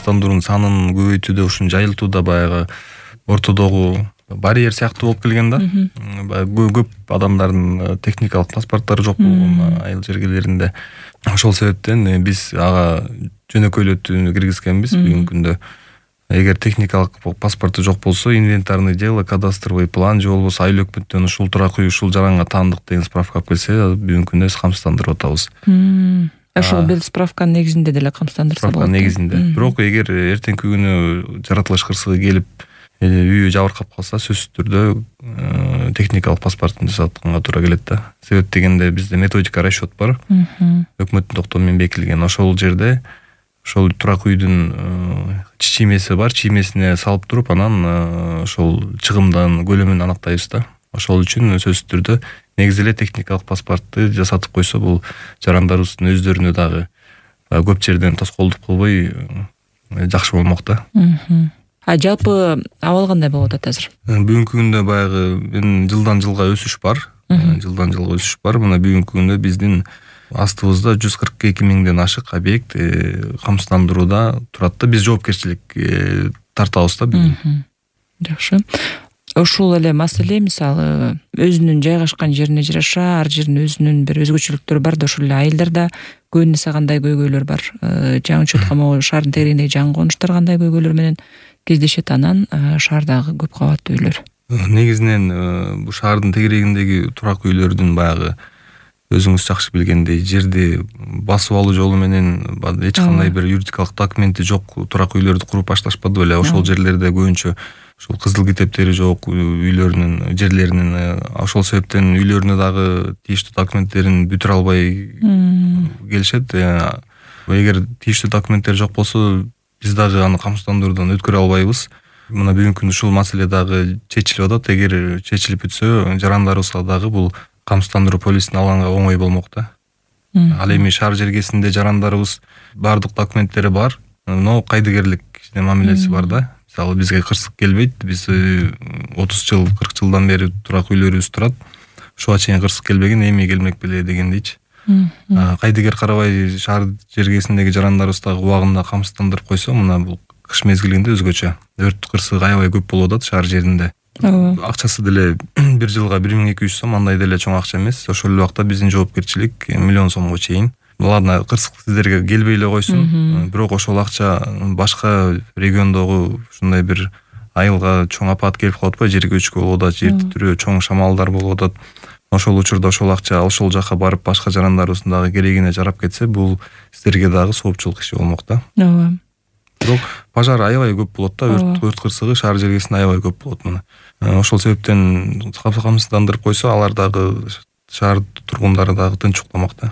камсыздандыруунун санын көбөйтүүдө, ушуну жайылтууда баягы ортодогу барьер сыяктуу болуп келген да. Көп адамдардын техникалык паспорттары жок болгон айыл жергелеринде. Ошол себептен биз ага жөнөкөйлөтүүнү киргизгенбиз бүгүнкү күндө. Эгер техникалык паспорту жок болсо, инвентарный дело, кадастровый план же болбосо айыл өкмөттөн ушул турак үй ушул жаранга таандык деген справка алып келсе, бүгүнкү күндө камсыздандырып атабыз. Ошол бир справканын негизинде деле камсыздандырса болот. Справканын негизинде. Бирок эгер эртеңки күнү жаратылыш кырсыгы келип, үйү жабыркап калса, сөзсүз түрдө техникалык паспортун жасатканга туура келет да. Себеп дегенде бизде методика расчет бар. Өкмөттүн токтому менен бекитилген. Ошол жерде ошол турак үйдүн чиймеси бар, чиймесине салып туруп, анан ошол чыгымдын көлөмүн аныктайбыз да. Ошол үчүн сөзсүз түрдө негизи эле техникалык паспортты жасатып койсо, бул жарандарыбыздын өздөрүнө дагы көп жерден тоскоолдук кылбай жакшы болмок да. Жалпы абал кандай болуп атат азыр? Бүгүнкү күндө баягы жылдан жылга өсүш бар. Жылдан жылга өсүш бар. Мына бүгүнкү күндө биздин астыбызда 142 миңден ашык объект камсыздандырууда турат да. Биз жоопкерчилик тартабыз да бүгүн. Жакшы. Ушул эле маселе, мисалы, өзүнүн жайгашкан жерине жараша, ар жердин өзүнүн бир өзгөчөлүктөрү бар да, ошол эле айылдарда көбүнесе кандай көйгөйлөр бар? Жаңы учетко могу шаардын тегерегиндеги жаңы конуштар кандай көйгөйлөр менен кездешет, анан шаардагы көп кабаттуу үйлөр? Негизинен бул шаардын тегерегиндеги турак үйлөрдүн баягы өзүңүз жакшы билгендей жерди басып алуу жолу менен эч кандай бир юридикалык документи жок турак үйлөрдү куруп башташпады беле. Ошол жерлерде көбүнчө ушул кызыл китептери жок үйлөрүнүн жерлеринин, ошол себептен үйлөрүнө дагы тийиштүү документтерин бүтүрө албай келишет. Эгер тийиштүү документтер жок болсо, биз дагы аны камсыздандыруудан өткөрө албайбыз. Мына бүгүнкү күндө ушул маселе дагы чечилип атат. Эгер чечилип бүтсө, жарандарыбызга дагы бул камсыздандыруу полисин алганга оңой болмок да. Ал эми шаар жергесинде жарандарыбыз бардык документтери бар, но кайдыгерлик мамилеси бар да. Мисалы, бизге кырсык келбейт. Биз 30 жыл, 40 жылдан бери турак үйлөрүбүз турат. Ушуга чейин кырсык келбеген, эми келмек беле дегендейчи. Кайдыгер карабай шаар жергесиндеги жарандарыбыз дагы убагында камсыздандырып койсо, мына бул кыш мезгилинде өзгөчө өрт кырсыгы аябай көп болуп атат шаар жеринде. Акчасы деле бир жылга 1200 сом, андай деле чоң акча эмес. Ошол эле убакта биздин жоопкерчилик 1 миллион сомго чейин. Ладно, кырсык сиздерге келбей эле койсун, бирок ошол акча башка региондогу ушундай бир айылга чоң апат келип калып атпайбы, жер көчкү болуп атат, жер титирөө, чоң шамалдар болуп атат. Ошол учурда ошол акча ошол жака барып башка жарандарыбыздын дагы керегине жарап кетсе, бул сиздерге дагы соопчулук иши болмок да. Бирок пожар аябай көп болот да, өрт кырсыгы шаар жергесинде аябай көп болот мына. Ошол себептен камсыздандырып койсо, алар дагы шаар тургундары дагы тынч укламак да.